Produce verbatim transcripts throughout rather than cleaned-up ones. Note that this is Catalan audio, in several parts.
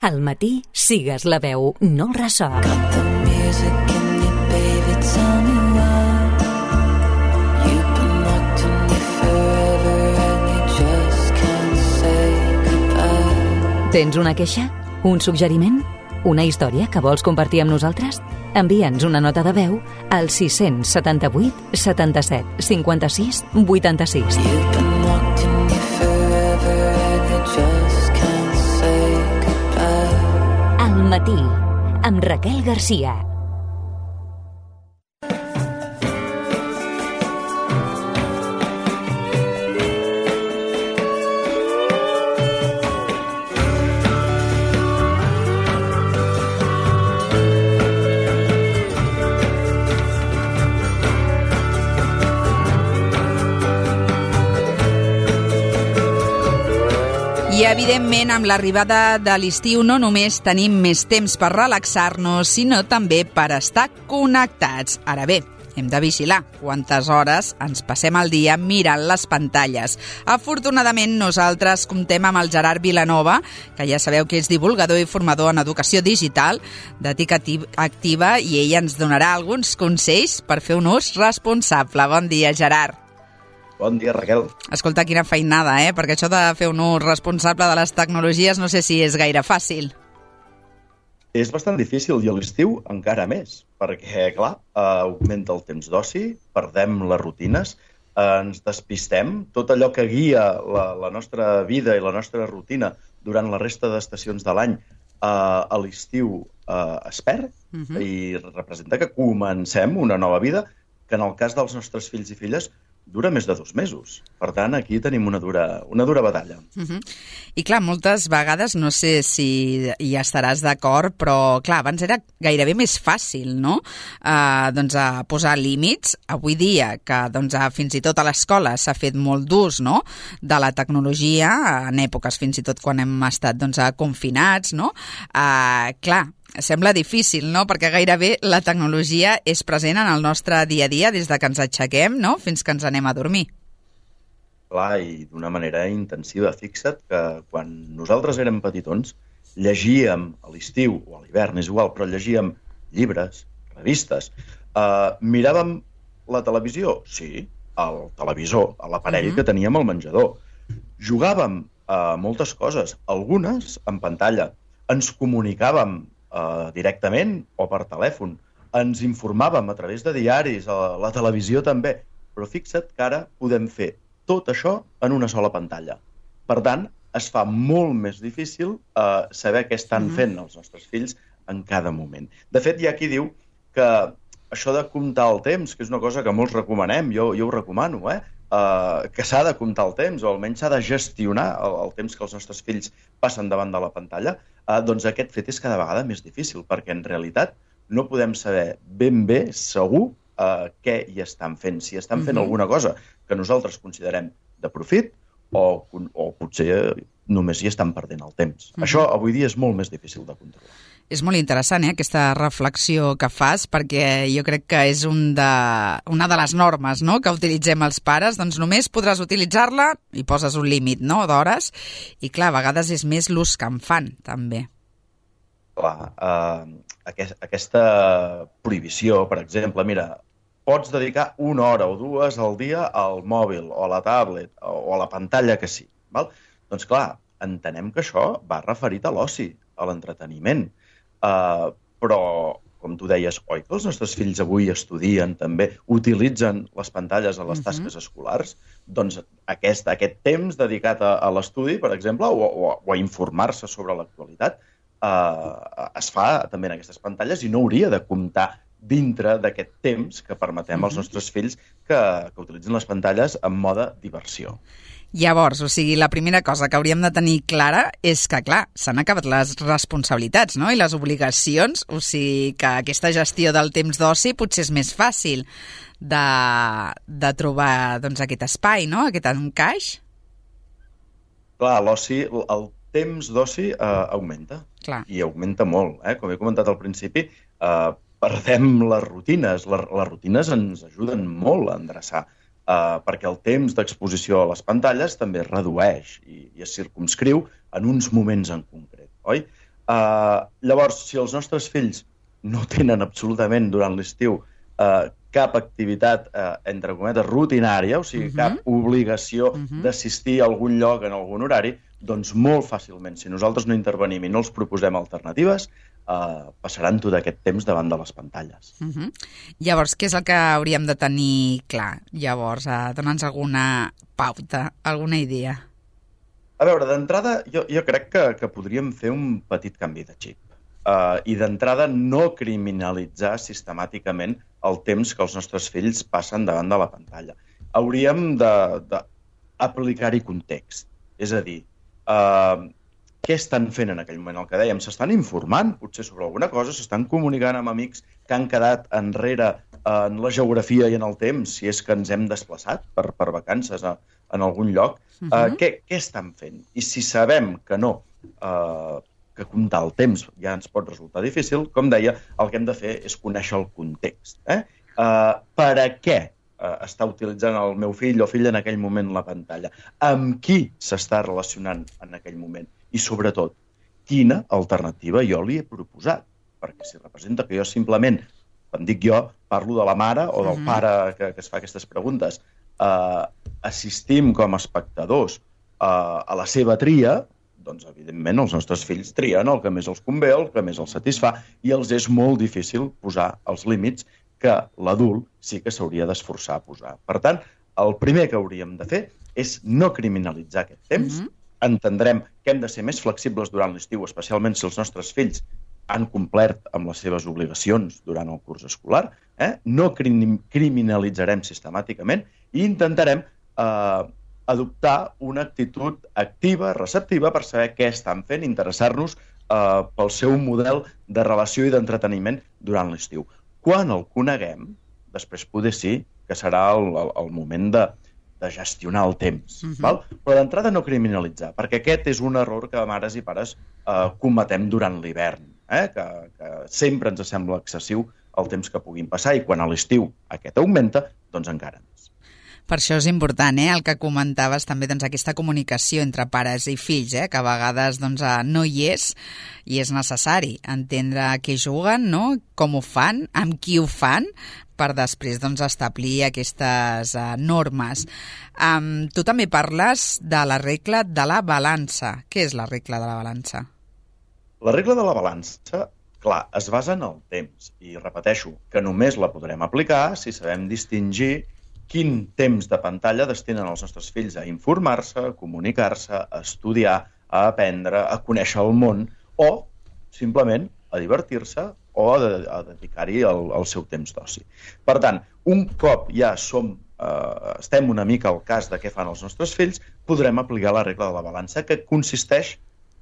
Al matí, sigues la veu, no el ressò. Tens una queixa? Un suggeriment? Una història que vols compartir amb nosaltres? Envia'ns una nota de veu al sis set vuit setanta-set cinquanta-sis vuitanta-sis. Al matí, amb Raquel Garcia. I, evidentment, amb l'arribada de l'estiu no només tenim més temps per relaxar-nos, sinó també per estar connectats. Ara bé, hem de vigilar quantes hores ens passem al dia mirant les pantalles. Afortunadament, nosaltres comptem amb el Gerard Vilanova, que ja sabeu que és divulgador i formador en educació digital d'Ètica Activa, i ell ens donarà alguns consells per fer un ús responsable. Bon dia, Gerard. Bon dia, Raquel. Escolta, quina feinada, eh? Perquè això de fer un ús responsable de les tecnologies no sé si és gaire fàcil. És bastant difícil, i a l'estiu encara més, perquè, clar, eh, augmenta el temps d'oci, perdem les rutines, eh, ens despistem, tot allò que guia la, la nostra vida i la nostra rutina durant la resta d'estacions de l'any, eh, a l'estiu eh, es perd, uh-huh. i representa que comencem una nova vida, que en el cas dels nostres fills i filles dura més de dos mesos. Per tant, aquí tenim una dura, una dura batalla. Uh-huh. I clar, moltes vegades, no sé si hi estaràs d'acord, però clar, abans era gairebé més fàcil, no? Uh, doncs a posar límits. Avui dia, que doncs, a, fins i tot a l'escola s'ha fet molt d'ús, no?, de la tecnologia, en èpoques fins i tot quan hem estat doncs, confinats, no? Uh, clar, sembla difícil, no?, perquè gairebé la tecnologia és present en el nostre dia a dia des de que ens aixequem, no?, fins que ens anem a dormir. Clar, i d'una manera intensiva. Fixa't que quan nosaltres érem petitons, llegíem a l'estiu o a l'hivern, és igual, però llegíem llibres, revistes. Uh, miràvem la televisió? Sí, al televisor, a l'aparell uh-huh. que teníem al menjador. Jugàvem a moltes coses, algunes en pantalla. Ens comunicàvem Uh, directament o per telèfon. Ens informàvem a través de diaris, a la televisió també, però fixa't que ara podem fer tot això en una sola pantalla. Per tant, es fa molt més difícil uh, saber què estan mm-hmm. fent els nostres fills en cada moment. De fet, hi ha qui diu que això de comptar el temps, que és una cosa que molts recomanem, jo, jo ho recomano, eh? Uh, que s'ha de comptar el temps, o almenys s'ha de gestionar el, el temps que els nostres fills passen davant de la pantalla, uh, doncs aquest fet és cada vegada més difícil, perquè en realitat no podem saber ben bé, segur, uh, què hi estan fent. Si estan fent mm-hmm. alguna cosa que nosaltres considerem de profit, o, o potser només hi estan perdent el temps. Mm-hmm. Això avui dia és molt més difícil de controlar. És molt interessant, eh, aquesta reflexió que fas, perquè jo crec que és un de, una de les normes, no?, que utilitzem els pares. Doncs només podràs utilitzar-la i poses un límit, no?, d'hores. I clar, a vegades és més l'ús que en fan, també. Clar, eh, aquest, aquesta prohibició, per exemple, mira, pots dedicar una hora o dues al dia al mòbil o a la tablet o a la pantalla que sí. Val? Doncs clar, entenem que això va referit a l'oci, a l'entreteniment. Uh, però, com tu deies, oi que els nostres fills avui estudien també, utilitzen les pantalles a les uh-huh. tasques escolars? Doncs aquest, aquest temps dedicat a, a l'estudi, per exemple, o, o, o a informar-se sobre l'actualitat, uh, es fa també en aquestes pantalles i no hauria de comptar dintre d'aquest temps que permetem uh-huh. als nostres fills que, que utilitzen les pantalles en mode diversió. Llavors, o sigui, la primera cosa que hauríem de tenir clara és que, clar, s'han acabat les responsabilitats, no?, i les obligacions, o sigui, que aquesta gestió del temps d'oci potser és més fàcil de, de trobar, doncs, aquest espai, no?, aquest encaix. Clar, l'oci, el temps d'oci eh, augmenta, clar. I augmenta molt, eh? Com he comentat al principi, eh, perdem les rutines, les, les rutines ens ajuden molt a endreçar, Uh, perquè el temps d'exposició a les pantalles també es redueix i, i es circumscriu en uns moments en concret, oi? Uh, llavors, si els nostres fills no tenen absolutament durant l'estiu uh, cap activitat, uh, entre cometes, rutinària, o sigui, uh-huh. cap obligació uh-huh. d'assistir a algun lloc en algun horari, doncs molt fàcilment, si nosaltres no intervenim i no els proposem alternatives, uh, passaran tot aquest temps davant de les pantalles. Uh-huh. Llavors, què és el que hauríem de tenir clar? Llavors, uh, dona'ns alguna pauta, alguna idea. A veure, d'entrada, jo, jo crec que, que podríem fer un petit canvi de xip. Uh, I d'entrada no criminalitzar sistemàticament el temps que els nostres fills passen davant de la pantalla. Hauríem d'aplicar-hi context. És a dir, uh, què estan fent en aquell moment? El que dèiem, s'estan informant, potser sobre alguna cosa, s'estan comunicant amb amics que han quedat enrere en la geografia i en el temps, si és que ens hem desplaçat per, per vacances a, en algun lloc. Uh-huh. uh, què, què estan fent? I si sabem que no, uh, que comptar el temps ja ens pot resultar difícil, com deia, el que hem de fer és conèixer el context. Eh? Uh, per a què uh, està utilitzant el meu fill o filla en aquell moment la pantalla? Amb qui s'està relacionant en aquell moment? I, sobretot, quina alternativa jo li he proposat? Perquè si representa que jo simplement, quan dic jo, parlo de la mare o del pare que, que es fa aquestes preguntes, uh, assistim com a espectadors uh, a la seva tria, doncs, evidentment, els nostres fills trien el que més els convé, el que més els satisfà, i els és molt difícil posar els límits que l'adult sí que s'hauria d'esforçar a posar. Per tant, el primer que hauríem de fer és no criminalitzar aquest temps. Mm-hmm. Entendrem que hem de ser més flexibles durant l'estiu, especialment si els nostres fills han complert amb les seves obligacions durant el curs escolar. Eh? No crim criminalitzarem sistemàticament i intentarem eh, adoptar una actitud activa, receptiva, per saber què estan fent, interessar-nos eh, pel seu model de relació i d'entreteniment durant l'estiu. Quan el coneguem, després poder sí que serà el, el, el moment de, de gestionar el temps. Uh-huh. Val? Però d'entrada no criminalitzar, perquè aquest és un error que mares i pares eh, cometem durant l'hivern, eh? que, que sempre ens sembla excessiu el temps que puguin passar, i quan a l'estiu aquest augmenta, doncs encara més. Per això és important, eh, el que comentaves també, doncs, aquesta comunicació entre pares i fills, eh, que a vegades doncs, no hi és i és necessari entendre què juguen, no? Com ho fan, amb qui ho fan, per després doncs, establir aquestes uh, normes. Um, tu també parles de la regla de la balança. Què és la regla de la balança? La regla de la balança, clar, es basa en el temps. I repeteixo que només la podrem aplicar si sabem distingir quin temps de pantalla destinen els nostres fills a informar-se, a comunicar-se, a estudiar, a aprendre, a conèixer el món, o simplement a divertir-se o a, de a dedicar-hi el, el seu temps d'oci. Per tant, un cop ja som, eh, estem una mica al cas de què fan els nostres fills, podrem aplicar la regla de la balança, que consisteix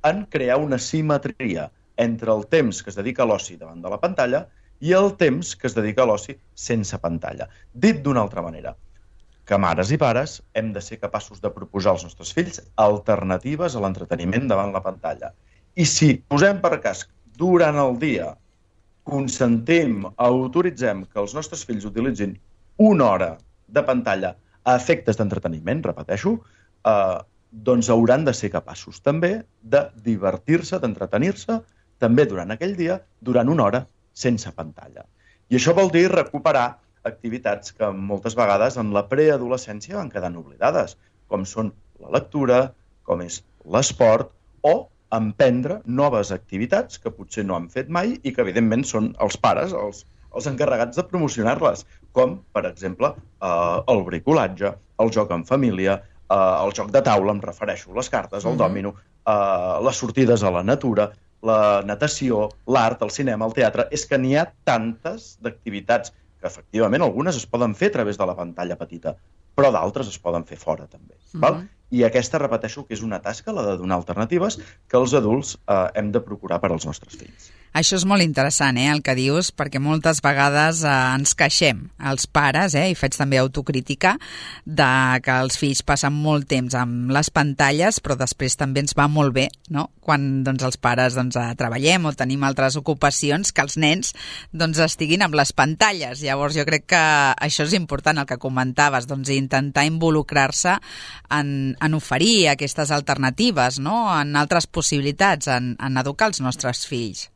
en crear una simetria entre el temps que es dedica a l'oci davant de la pantalla i el temps que es dedica a l'oci sense pantalla. Dit d'una altra manera, que mares i pares hem de ser capaços de proposar als nostres fills alternatives a l'entreteniment davant la pantalla. I si posem per cas durant el dia, consentim, autoritzem que els nostres fills utilitzin una hora de pantalla a efectes d'entreteniment, repeteixo, eh, doncs hauran de ser capaços també de divertir-se, d'entretenir-se, també durant aquell dia, durant una hora, sense pantalla. I això vol dir recuperar activitats que moltes vegades en la preadolescència van quedant oblidades, com són la lectura, com és l'esport, o emprendre noves activitats que potser no han fet mai i que, evidentment, són els pares els, els encarregats de promocionar-les, com, per exemple, eh, el bricolatge, el joc en família, eh, el joc de taula, em refereixo, les cartes, el dòmino, eh, les sortides a la natura, la natació, l'art, el cinema, el teatre. És que n'hi ha tantes d'activitats que, efectivament, algunes es poden fer a través de la pantalla petita, però d'altres es poden fer fora, també. Uh-huh. Val? I aquesta, repeteixo, que és una tasca, la de donar alternatives, que els adults eh, hem de procurar per als nostres fills. Això és molt interessant, eh, el que dius, perquè moltes vegades eh, ens queixem, els pares, eh, i faig també autocrítica, de que els fills passen molt temps amb les pantalles, però després també ens va molt bé, no?, quan doncs, els pares doncs, treballem o tenim altres ocupacions, que els nens doncs, estiguin amb les pantalles. Llavors jo crec que això és important, el que comentaves, doncs, intentar involucrar-se en, en oferir aquestes alternatives, no?, en altres possibilitats, en, en educar els nostres fills.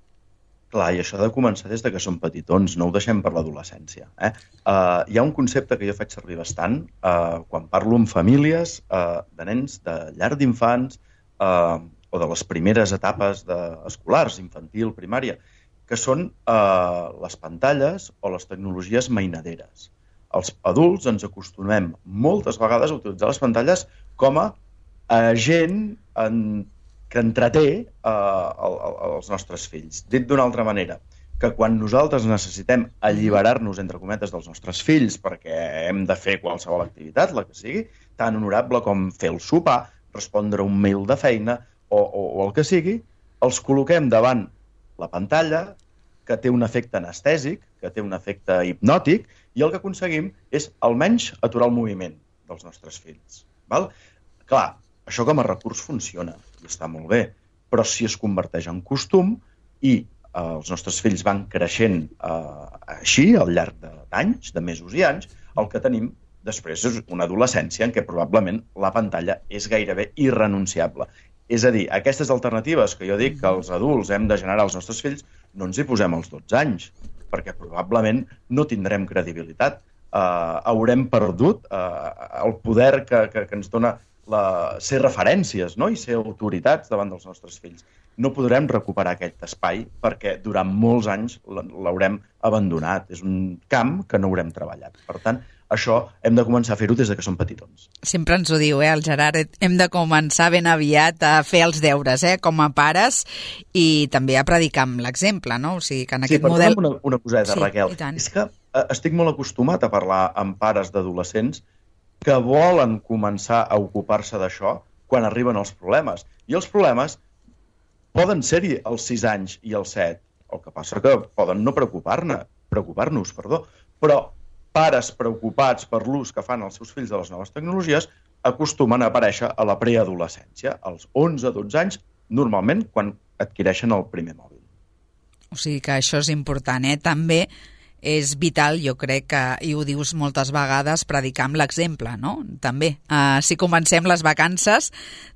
Clar, i això ha de començar des de que som petitons, no ho deixem per l'adolescència. Eh? Uh, hi ha un concepte que jo faig servir bastant uh, quan parlo amb famílies uh, de nens de llar d'infants uh, o de les primeres etapes de, escolars, infantil, primària, que són uh, les pantalles o les tecnologies mainaderes. Els adults ens acostumem moltes vegades a utilitzar les pantalles com a agent en que entreté eh, els nostres fills. Dit d'una altra manera, que quan nosaltres necessitem alliberar-nos, entre cometes, dels nostres fills perquè hem de fer qualsevol activitat, la que sigui, tan honorable com fer el sopar, respondre un mail de feina o, o, o el que sigui, els col·loquem davant la pantalla, que té un efecte anestèsic, que té un efecte hipnòtic, i el que aconseguim és almenys aturar el moviment dels nostres fills. Val? Clar, això com a recurs funciona i està molt bé, però si es converteix en costum i eh, els nostres fills van creixent eh, així al llarg d'anys, de mesos i anys, el que tenim després és una adolescència en què probablement la pantalla és gairebé irrenunciable. És a dir, aquestes alternatives que jo dic que els adults hem de generar als nostres fills, no ens hi posem als dotze anys, perquè probablement no tindrem credibilitat. Eh, haurem perdut eh, el poder que, que, que ens dona La, ser referències, no?, i ser autoritats davant dels nostres fills. No podrem recuperar aquest espai perquè durant molts anys l'haurem abandonat. És un camp que no haurem treballat. Per tant, això hem de començar a fer-ho des de que som petitons. Sempre ens ho diu, eh, el Gerard. Hem de començar ben aviat a fer els deures, eh, com a pares, i també a predicar amb l'exemple, no? O sigui, que en sí, aquest model... una, una coseta, sí, Raquel. És que eh, estic molt acostumat a parlar amb pares d'adolescents que volen començar a ocupar-se d'això quan arriben els problemes. I els problemes poden ser-hi als sis anys i als set. El que passa que poden no preocupar-ne, preocupar-nos, perdó. Però pares preocupats per l'ús que fan els seus fills de les noves tecnologies acostumen a aparèixer a la preadolescència, als onze a dotze anys, normalment quan adquireixen el primer mòbil. O sigui que això és important, eh? També és vital, jo crec que, i ho dius moltes vegades, predicar amb l'exemple, no? També. Uh, si comencem les vacances,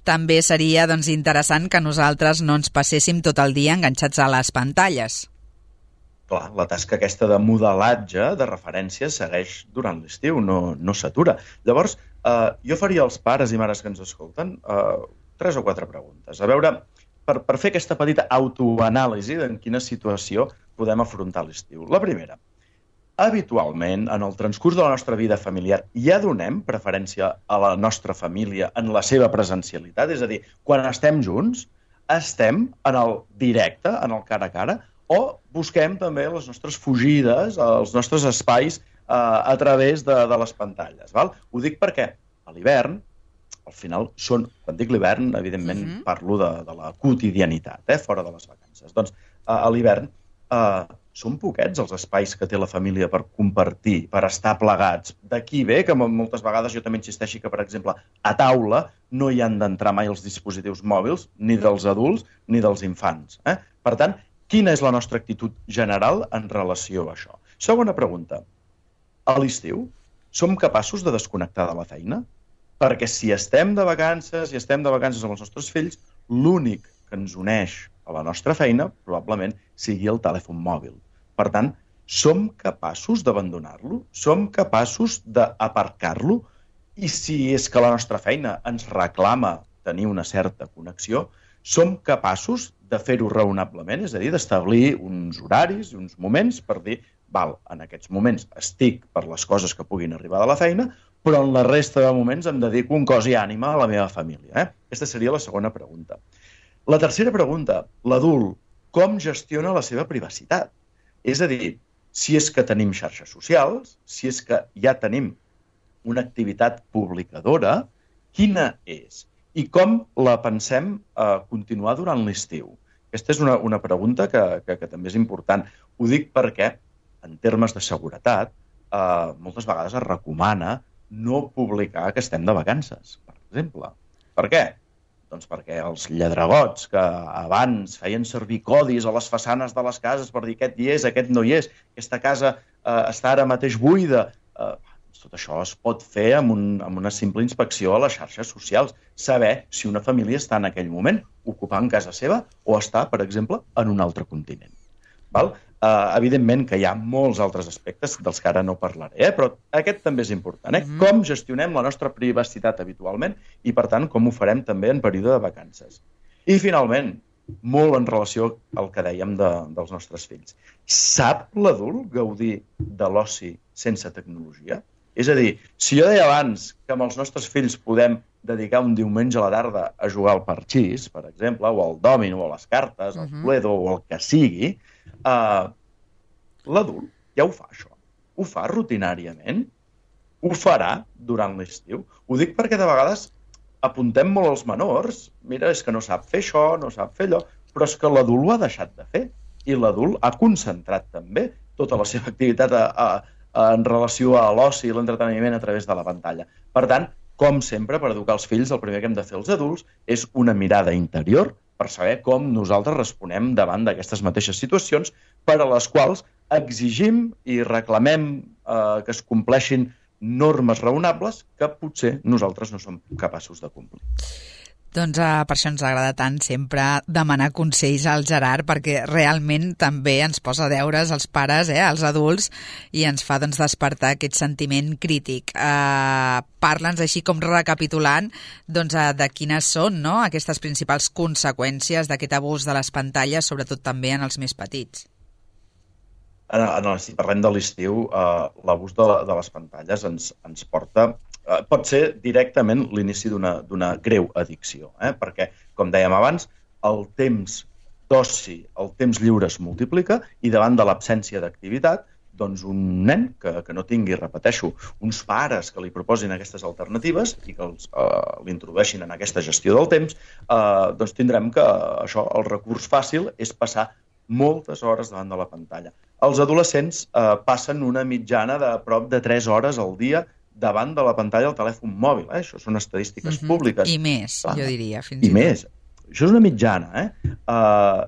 també seria doncs, interessant que nosaltres no ens passéssim tot el dia enganxats a les pantalles. Clar, la tasca aquesta de modelatge, de referència, segueix durant l'estiu, no, no s'atura. Llavors, uh, jo faria als pares i mares que ens escolten uh, tres o quatre preguntes. A veure, per, per fer aquesta petita autoanàlisi d'en quina situació podem afrontar l'estiu. La primera, habitualment, en el transcurs de la nostra vida familiar, ja donem preferència a la nostra família en la seva presencialitat? És a dir, quan estem junts, estem en el directe, en el cara a cara, o busquem també les nostres fugides, els nostres espais eh, a través de, de les pantalles. Val? Ho dic perquè a l'hivern, al final, són, quan dic l'hivern, evidentment mm-hmm. parlo de, de la quotidianitat, eh, fora de les vacances. Doncs a, a l'hivern eh, són poquets els espais que té la família per compartir, per estar plegats. D'aquí ve que moltes vegades jo també insisteixi que, per exemple, a taula no hi han d'entrar mai els dispositius mòbils, ni dels adults ni dels infants. Eh? Per tant, quina és la nostra actitud general en relació a això? Segona pregunta. A l'estiu, som capaços de desconnectar de la feina? Perquè si estem de vacances i estem de vacances amb els nostres fills, l'únic que ens uneix a la nostra feina probablement sigui el telèfon mòbil. Per tant, som capaços d'abandonar-lo? Som capaços d'aparcar-lo? I si és que la nostra feina ens reclama tenir una certa connexió, som capaços de fer-ho raonablement? És a dir, d'establir uns horaris i uns moments per dir, val, en aquests moments estic per les coses que puguin arribar de la feina, però en la resta de moments em dedico un cos i ànima a la meva família. Eh? Aquesta seria la segona pregunta. La tercera pregunta, l'adult, com gestiona la seva privacitat? És a dir, si és que tenim xarxes socials, si és que ja tenim una activitat publicadora, quina és? I com la pensem eh, continuar durant l'estiu? Aquesta és una, una pregunta que, que, que també és important. Ho dic perquè, en termes de seguretat, eh, moltes vegades es recomana no publicar que estem de vacances, per exemple. Per què? Doncs perquè els lladregots que abans feien servir codis a les façanes de les cases per dir aquest hi és, aquest no hi és, aquesta casa eh, està ara mateix buida, eh, tot això es pot fer amb, un, amb una simple inspecció a les xarxes socials. Saber si una família està en aquell moment ocupant casa seva o està, per exemple, en un altre continent. Val? Uh, evidentment que hi ha molts altres aspectes dels que ara no parlaré, eh? Però aquest també és important. Eh? Mm. Com gestionem la nostra privacitat habitualment i, per tant, com ho farem també en període de vacances. I, finalment, molt en relació al que dèiem de, dels nostres fills. Sap l'adult gaudir de l'oci sense tecnologia? És a dir, si jo deia abans que amb els nostres fills podem dedicar un diumenge a la tarda a jugar al parxís, per exemple, o al dòmino, o a les cartes, al Uh-huh. Cluedo, o el que sigui, uh, l'adult ja ho fa, això. Ho fa rutinàriament. Ho farà durant l'estiu. Ho dic perquè de vegades apuntem molt als menors. Mira, és que no sap fer això, no sap fer allò, però és que l'adult ho ha deixat de fer. I l'adult ha concentrat també tota la seva activitat a, a en relació a l'oci i l'entreteniment a través de la pantalla. Per tant, com sempre, per educar els fills, el primer que hem de fer els adults és una mirada interior per saber com nosaltres responem davant d'aquestes mateixes situacions per a les quals exigim i reclamem eh, que es compleixin normes raonables que potser nosaltres no som capaços de complir. Doncs uh, per això ens agrada tant sempre demanar consells al Gerard, perquè realment també ens posa deures als pares, eh, als adults, i ens fa doncs, despertar aquest sentiment crític. Uh, Parla'ns així com recapitulant doncs, uh, de quines són, no?, aquestes principals conseqüències d'aquest abús de les pantalles, sobretot també en els més petits. En, en, si parlem de l'estiu, eh, l'abús de, de les pantalles ens, ens porta... Eh, pot ser directament l'inici d'una d'una greu addicció, eh? Perquè, com dèiem abans, el temps d'oci, el temps lliure es multiplica i davant de l'absència d'activitat, doncs un nen que, que no tingui, repeteixo, uns pares que li proposin aquestes alternatives i que els, eh, l'introdueixin en aquesta gestió del temps, eh, doncs tindrem que això, el recurs fàcil és passar moltes hores davant de la pantalla. Els adolescents eh, passen una mitjana de prop de tres hores al dia davant de la pantalla del telèfon mòbil. Eh? Això són estadístiques Uh-huh. públiques. I més, Clar. jo diria, fins I i tot. més. Això és una mitjana. Eh? Uh,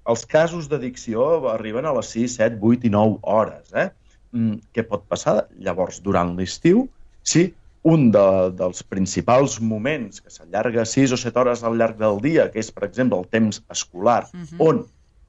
els casos d'addicció arriben a les sis, set, vuit i nou hores. Eh? Mm, què pot passar llavors durant l'estiu? Si un de, dels principals moments que s'allarga sis o set hores al llarg del dia, que és, per exemple, el temps escolar, Uh-huh. on,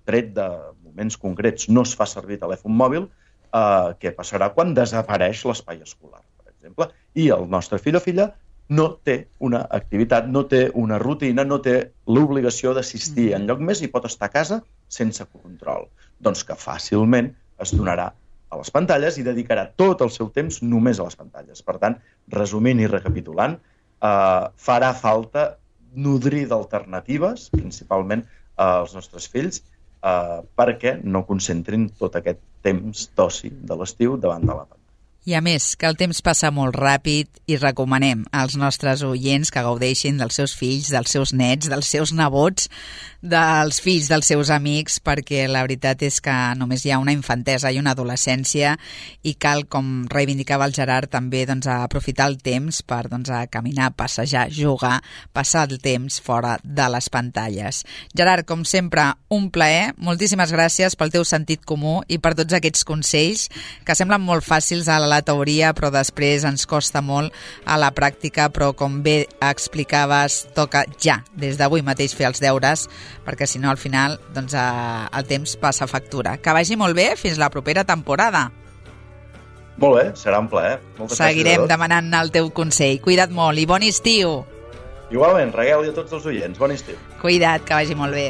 tret de moments concrets, no es fa servir telèfon mòbil, uh, què passarà quan desapareix l'espai escolar, per exemple? I el nostre fill o filla no té una activitat, no té una rutina, no té l'obligació d'assistir Mm. enlloc més i pot estar a casa sense control. Doncs que fàcilment es donarà a les pantalles i dedicarà tot el seu temps només a les pantalles. Per tant, resumint i recapitulant, eh, farà falta nodrir d'alternatives, principalment als nostres fills, eh, perquè no concentrin tot aquest temps d'oci de l'estiu davant de la pantalla. I a més, que el temps passa molt ràpid i recomanem als nostres oients que gaudeixin dels seus fills, dels seus nets, dels seus nebots, dels fills dels seus amics, perquè la veritat és que només hi ha una infantesa i una adolescència i cal, com reivindicava el Gerard, també doncs, aprofitar el temps per doncs, a caminar, passejar, jugar, passar el temps fora de les pantalles. Gerard, com sempre, un plaer. Moltíssimes gràcies pel teu sentit comú i per tots aquests consells que semblen molt fàcils a la teoria, però després ens costa molt a la pràctica, però com bé explicaves, toca ja, des d'avui mateix fer els deures, perquè si no al final doncs, eh, el temps passa factura. Que vagi molt bé, fins la propera temporada. Molt bé, serà un plaer. Moltes Seguirem gràcies a tots. demanant el teu consell. Cuida't molt i bon estiu. Igualment, Raquel i a tots els oients. Bon estiu. Cuida't, que vagi molt bé.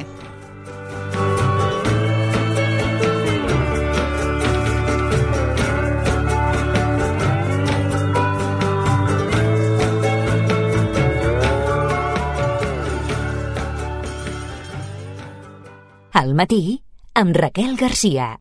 Al matí, amb Raquel Garcia.